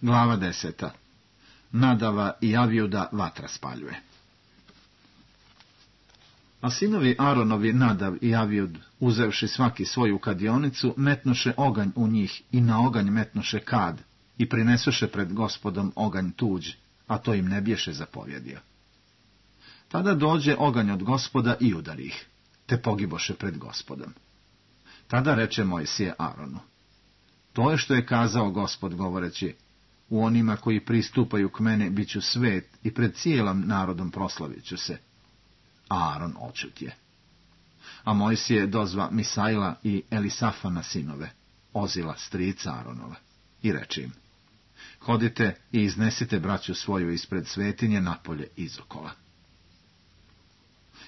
Glava 10. Nadava i Avjuda vatra spaljuje. A sinovi Aronovi Nadav i Avjud, uzevši svaki svoju kadionicu, metnoše oganj u njih i na oganj metnoše kad i prinesoše pred Gospodom oganj tuđ, a to im ne bješe zapovjedio. Tada dođe oganj od Gospoda i udari ih, te pogiboše pred Gospodom. Tada reče Mojsije Aronu: to je što je kazao Gospod, govoreći: u onima koji pristupaju k mene bit ću svet i pred cijelim narodom proslavit ću se. A Aron odšutje. A Mojsije dozva Misaila i Elisafana sinove, Ozila strica Aronova, i reče im: hodite i iznesite braću svoju ispred svetinje napolje izokola.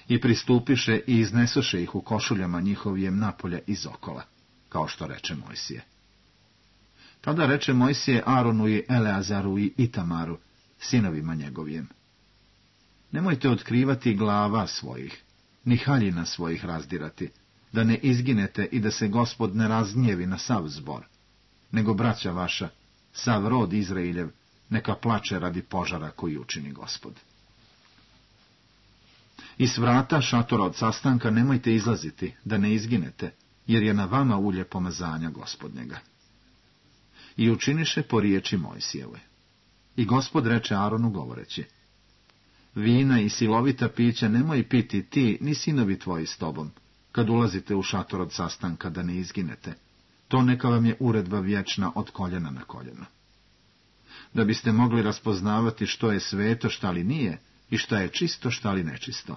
I pristupiše i iznesoše ih u košuljama njihovijem napolje izokola, kao što reče Mojsije. Tada reče Mojsije Aronu i Eleazaru i Itamaru, sinovima njegovijem: nemojte otkrivati glava svojih, ni haljina svojih razdirati, da ne izginete i da se Gospod ne razgnjevi na sav zbor, nego braća vaša, sav rod Izrailjev, neka plače radi požara koji učini Gospod. Iz vrata šatora od sastanka nemojte izlaziti, da ne izginete, jer je na vama ulje pomazanja Gospodnjega. I učiniše po riječi Mojsijeve. I Gospod reče Aronu govoreći: vina i silovita pića nemoj piti ti ni sinovi tvoji s tobom, kad ulazite u šator od sastanka, da ne izginete. To neka vam je uredba vječna od koljena na koljeno. Da biste mogli raspoznavati što je sveto, šta li nije, i šta je čisto, šta li nečisto.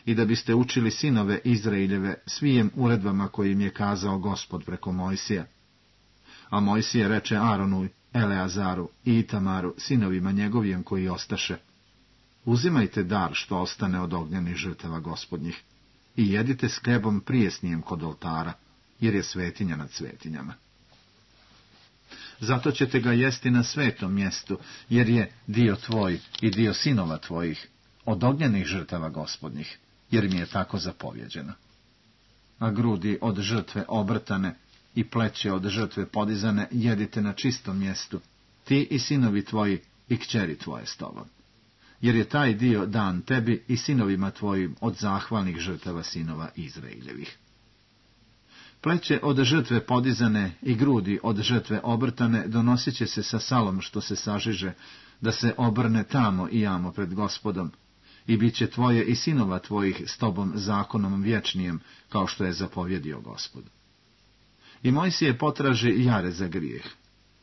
I da biste učili sinove Izraeljeve svijem uredbama kojim je kazao Gospod preko Mojsija. A Mojsije reče Aronu, Eleazaru i Itamaru, sinovima njegovijem koji ostaše: uzimajte dar što ostane od ognjenih žrtava Gospodnjih i jedite s hlebom prijesnijem kod oltara, jer je svetinja nad svetinjama. Zato ćete ga jesti na svetom mjestu, jer je dio tvoj i dio sinova tvojih od ognjenih žrtava Gospodnjih, jer mi je tako zapovjeđeno. A grudi od žrtve obrtane i pleće od žrtve podizane jedite na čistom mjestu, ti i sinovi tvoji i kćeri tvoje s tobom. Jer je taj dio dan tebi i sinovima tvojim od zahvalnih žrtava sinova Izraeljevih. Pleće od žrtve podizane i grudi od žrtve obrtane donosit će se sa salom što se sažiže, da se obrne tamo i jamo pred Gospodom, i bit će tvoje i sinova tvojih s tobom zakonom vječnijem, kao što je zapovjedio Gospod. I Mojsije potraži jare za grijeh,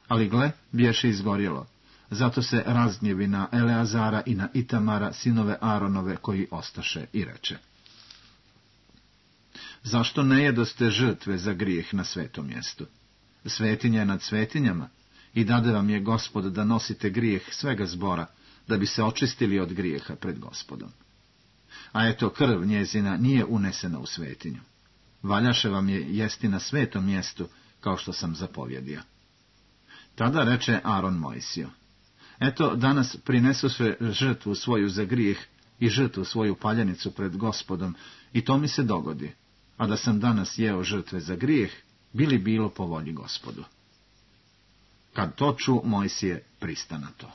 ali gle, bješe izgorjelo, zato se razgnjevi na Eleazara i na Itamara, sinove Aronove, koji ostaše, i reče: zašto ne jedoste žrtve za grijeh na svetom mjestu? Svetinja je nad svetinjama, i dade vam je Gospod da nosite grijeh svega zbora, da bi se očistili od grijeha pred Gospodom. A eto, krv njezina nije unesena u svetinju. Valjaše vam je jesti na svetom mjestu, kao što sam zapovjedio. Tada reče Aron Mojsiju: eto, danas prinesoše žrtvu svoju za grijeh i žrtvu svoju paljenicu pred Gospodom, i to mi se dogodi. A da sam danas jeo žrtve za grijeh, bilo po volji Gospodu. Kad to ču, Mojsije prista na to.